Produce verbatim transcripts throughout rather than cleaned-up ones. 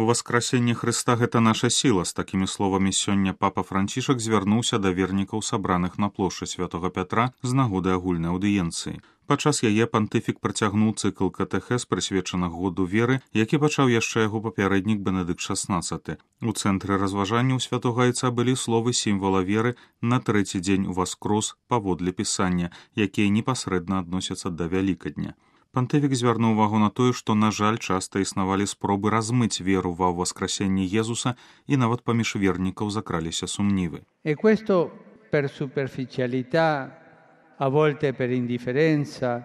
Воскресенне Хрыста – гэта наша сіла. З такімі словамі сёння папа Францішак звярнуўся да вернікаў, сабраных на плошчы Святога Пятра з нагоды агульнай аўдыенцыі. Падчас яе пантыфік працягнуў цыкл катэхез, прысвечаны году веры, які пачаў яшчэ яго папярэднік Бенедыкт шаснаццаты. У цэнтры разважанняў святога айца былі словы сімвала веры на трэці дзень уваскрос паводле пісання, якія непасрэдна адносяцца да Вялікадня. Пантыфік звярнуў увагу на тое, што, на жаль, часта існавалі спробы размыць веру ва ўваскрасенне Езуса, і нават паміж вернікаў закраліся сумнівы. E questo per superficialità, a volte per indifferenza,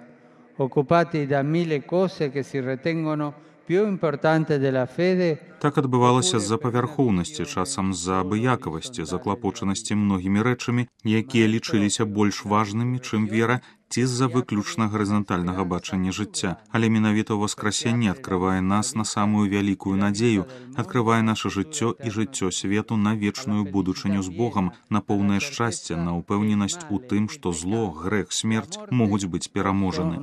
occupati da mille cose che si ritengono più importanti della fede. Так адбывалася з-за павярхоўнасці, часам з-за абыякавасці, заклапочанасці многімі рэчамі, якія лічыліся больш важнымі, чым вера, ці з-за выключна гарызантальнага бачання жыцця. Але менавіта ўваскрасенне адкрывае нас на самую вялікую надзею, адкрывае наша жыццё і жыццё свету на вечную будучыню з Богам, на поўнае шчасце, на ўпэўненасць у тым, што зло, грэх, смерць могуць быць пераможаны.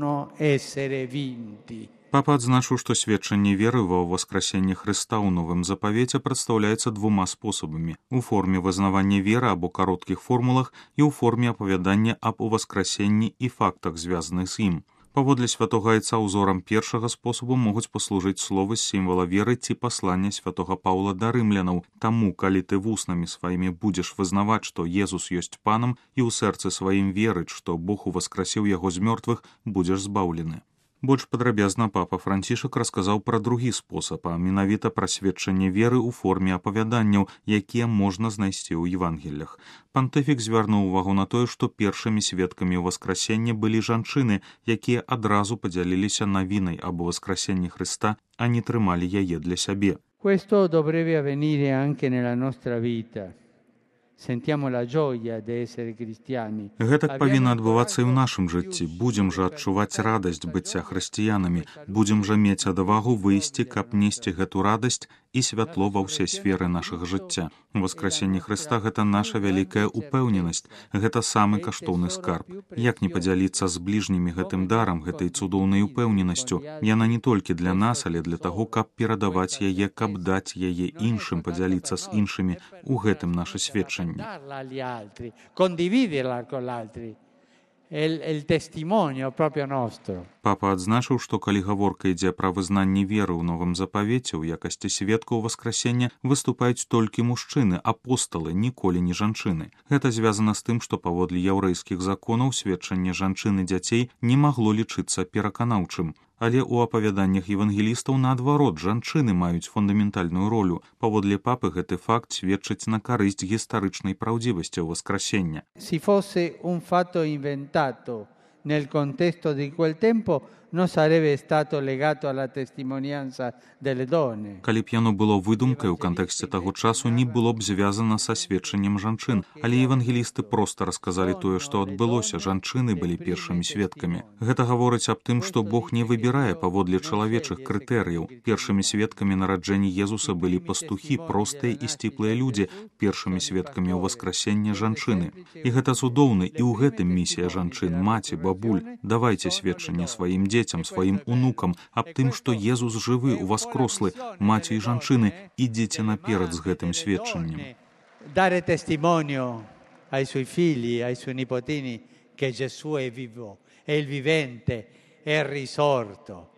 Папа адзначыў, што сведчанне веры ва ўваскрасенне Хрыста ў Новым Запавеце прадстаўляецца двума спосабамі – у форме вызнавання веры або кароткіх формулах і ў форме апавядання аб уваскрасенні і фактах, звязаных з ім. Паводле святога айца узорам першага спосабу могуць паслужыць словы з сімвала веры ці паслання святога Паўла да рымлянаў. Таму, калі ты вуснамі сваімі будзеш вызнаваць, што Езус ёсць панам, і ў сэрцы сваім верыць, што Бог уваскрасіў яго з мёртвых, будзеш збаўлены. Больш падрабязна папа Францішак расказаў пра другі спосаб, а менавіта пра сведчанне веры ў форме апавяданняў, якія можна знайсці ў Евангеллях. Пантыфік звярнуў увагу на тое, што першымі сведкамі ўваскрасення былі жанчыны, якія адразу падзяліліся навінай аб уваскрасенні Хрыста, а не трымалі яе для сябе. Questo dovrebbe avvenire anche nella nostra vita. Sentiamo la gioia di essere cristiani. Гэтак павінна адбывацца і ў нашым жыцці. Будзем жа адчуваць радасць быцця хрысціянамі. Будзем жа мець адвагу выйсці, каб несці гэту радасць і святло ва ўсе сферы нашага жыцця. Воскресенне Хрыста – гэта наша вялікая упэўненасць, гэта самы каштоўны скарб. Як не падзяліцца з бліжнімі гэтым дарам, гэтай цудоўнай упэўненасцю? Яна не толькі для нас, але для таго, каб перадаваць яе, каб даць яе іншым, падзяліцца з іншымі. У гэтым наша сведчанне. Condividerla con l'altri. El testimonio proprio nostro. Папа адзначыў, што калі гаворка ідзе пра вызнанне веры ў Новым Запавеце, у якасці сведкаў Воскресення выступаюць толькі мужчыны, апосталы, ніколі не жанчыны. Гэта звязана з тым, што паводле яўрэйскіх законаў сведчанне жанчын і дзяцей не магло лічыцца пераканаўчым. Але ў апавяданнях евангелістаў, наадварот, жанчыны маюць фундаментальную ролю. Паводле папы гэты факт сведчыць на карысць гістарычнай праўдзівасці Воскресення. Si fosse un fatto inventato nel contesto di quel tempo, non sarebbe stato legato alla testimonianza delle donne. Калі б яно было выдумкай у кантэксце таго часу, не было б звязана са сведчаннем жанчын, але евангелісты проста расказалі тое, што адбылося, жанчыны былі першымі сведкамі. Гэта гаворыць аб тым, што Бог не выбірае паводле чалавечых крытэрыяў. Першымі сведкамі нараджэння Езуса былі пастухі, простыя і сціплыя людзі, першымі сведкамі ўваскрасення жанчыны. І гэта цудоўна, і ў гэтым місія жанчын, маці, бабуль. Давайце сведчанне сваім дзецям, дзецям, сваім унукам аб тым, што Езус жывы, уваскрослы, маці і жанчыны, ідзіце наперад з гэтым сведчаннем. Dare testimonio ai suoi figli, ai suoi nipotini che Gesù è vivo, è il vivente, è il risorto.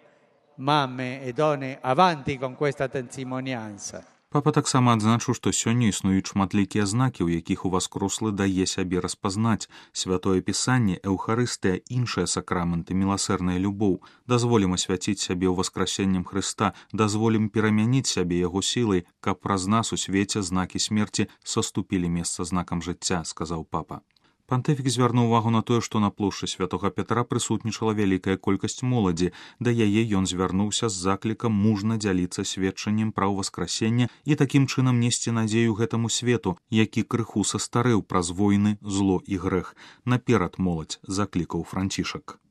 Mamme e donne, avanti con questa testimonianza. Папа таксама адзначыў, што сёння існуюць шматлікія знакі, у якіх уваскрослы дае сябе распазнаць. Святое Пісанне, Эўхарыстыя, іншыя сакраменты, міласэрная любоў. Дазволім асвяціць сябе ўваскрасеннем Хрыста, дазволім перамяніць сябе яго сілай, каб праз нас у свеце знакі смерці саступілі месца знакам жыцця, сказаў папа. Пантыфік звярнуў увагу на тое, што на плошчы Святога Пятра прысутнічала вялікая колькасць моладзі. Да яе ён звярнуўся з заклікам мужна дзяліцца сведчаннем пра ўваскрасенне і такім чынам несці надзею гэтаму свету, які крыху састарэў праз войны, зло і грэх. Наперад, моладзь, заклікаў Францішак.